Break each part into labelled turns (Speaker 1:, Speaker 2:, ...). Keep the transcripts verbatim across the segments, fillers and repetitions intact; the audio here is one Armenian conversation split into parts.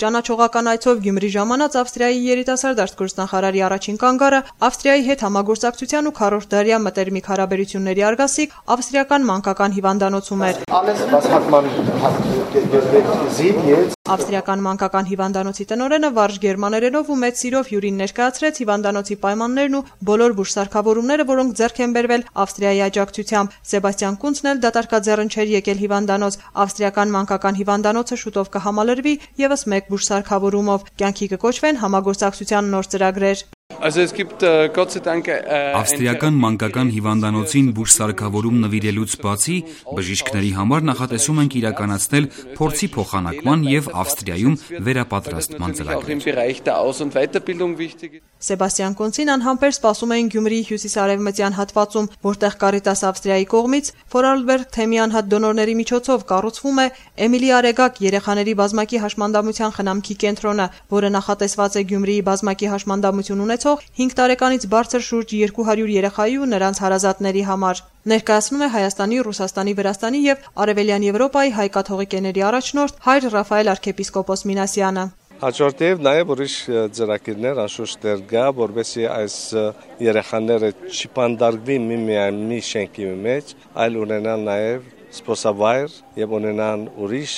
Speaker 1: Ճանաչողական այցով Գյումրի ժամանած Ավստրիայի երիտասարդ գործնախարարի առաջին կանգառը Ավստրիայի հետ համագործակցության ու քառորդդարյա մտերմիկ հարաբերությունների արգասիկ ավստրիական մանկական հիվանդանոցում էր։ Ավստրիական մանկական հիվանդանոցի տնօրենը վարժ գերմաներենով ու մեծ սիրով հյուրին ներկայացրեց հիվանդանոցի պայմաններն ու բոլոր բուժսարքավորումները, որոնք ձեռք են բերվել Ավստրիայի աջակցությամբ։ Սեբաստիան Կունցն էլ դատարկաձեռն չէր եկել հիվանդանոց։ Ավստրիական մանկական հիվանդանոցը շուտով կհամալրվի եւս մեկ բուժսարքավորումով։ Կյանքի կկոչվեն համագործակցության նոր ծրագրեր։
Speaker 2: Ավստրիական մանկական հիվանդանոցին բուժսարքավորում նվիրելուց բացի բժիշկների համար նախատեսում ենք իրականացնել փորձի փոխանակման եւ Ավստրիայում վերապատրաստման ծրագրեր։
Speaker 1: Սեբաստիան Կոնցին անհամբեր սպասում էին Գյումրիի հյուսիսարևմտյան հատվածում, որտեղ Կարիտաս Ավստրիայի կողմից Ֆորարլբերգ թեմի անհատ դոնորների միջոցով կառուցվում է Էմիլի Արեգակ երեխաների բազմակի հաշմանդամության խնամքի կենտրոնը, որը նախատեսված է Գյումրիի բազմակի հաշմանդամություն ունեցող հինգ տարեկանից բարձր շուրջ երկու հարյուր երեխայի ու նրանց հարազատների համար։ Ներկայացնում է Հայաստանի, Ռուսաստանի, Վրաստանի եւ Արևելյան Եվրոպայի հայ կաթողիկեների առաջնորդ հայր Ռաֆայել arczepiskopos Minasyan-ը։
Speaker 3: Հաջորդիվ նաև ուրիշ ծրագիրներ անշուշտ դեր գա, որովհետեւ այս երեխաները չպանդարգվի միմիայն մի շենքի մեջ, այլ ունենան նաև սպոսավայր եւ ունենան ուրիշ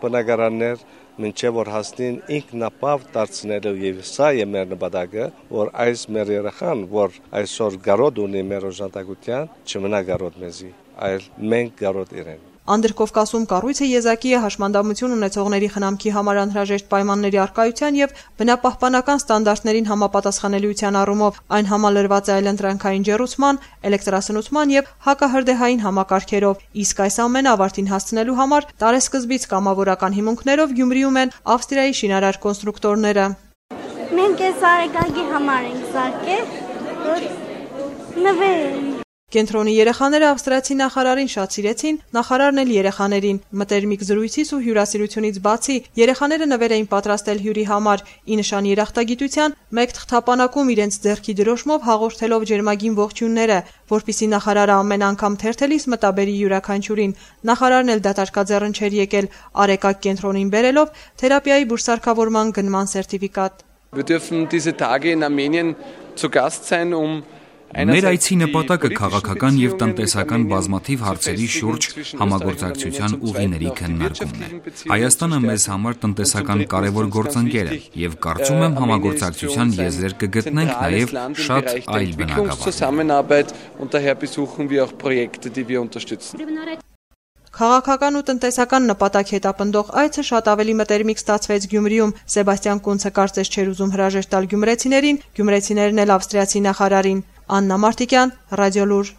Speaker 3: բնակարաններ, մինչև որ հասնին ինքնապավ դարձնելու եւ սա է մեր նպատակը, որ այս մեր երեխան, որ այսօր գարոտ ունի մեր օժանդակության, չմնա գարոտ մեզի, այլ մենք գարոտ իրեն։
Speaker 1: Անդրկովկասում կառույցը եզակի է հաշմանդամություն ունեցողների խնամքի համար անհրաժեշտ պայմանների առկայության եւ բնապահպանական ստանդարտներին համապատասխանելիության առումով այն համալրված է այլընտրանքային ջեռուցման, էլեկտրասնուցման եւ հակահրդեհային համակարգերով, իսկ այս ամենը ավարտին հասցնելու համար տարեսկզբից կամավորական հիմունքներով Գյումրիում են Ավստրիայի շինարար կոնստրուկտորները։
Speaker 4: Մենք այս արեգակի համար ենք սարքել, որ նվեր
Speaker 1: Կենտրոնի երեխաները ավստրիացի նախարարին շատ սիրեցին, նախարարն էլ երեխաներին։ Մտերմիկ զրույցից ու հյուրասիրությունից բացի երեխաները նվեր էին պատրաստել հյուրի համար՝ ի նշան երախտագիտության, մեկ թղթապանակում իրենց ձեռքի դրոշմով հաղորդելով ջերմագին ողջույնները, որպեսզի նախարարը ամեն անգամ թերթելիս մտաբերի յուրաքանչյուրին։ Նախարարն էլ դատարկաձեռն չէր եկել Արեգակ կենտրոնին բերելով թերապիայի բուժսարքավորման գնման սերտիֆիկատ։
Speaker 2: Մեր այցի նպատակը քաղաքական եւ տնտեսական բազմաթիվ հարցերի շուրջ համագործակցության ուղիների քննարկումն է։ Հայաստանը մեզ համար տնտեսական կարևոր գործընկեր է եւ կարծում եմ համագործակցության եզրեր կգտնենք նաեւ շատ այլ բնագավառներում։
Speaker 1: Քաղաքական ու տնտեսական նպատակ հետապնդող այցը շատ ավելի մտերմիկ ստացվեց Գյումրիում։ Սեբաստիան Կունցը կարծես չէր ուզում հրաժեշտ տալ գյումրեցիներին, գյումրեցիներն էլ ավստրիացի նախարարին։ Աննա Մարտիկյան, Ռադիոլուր։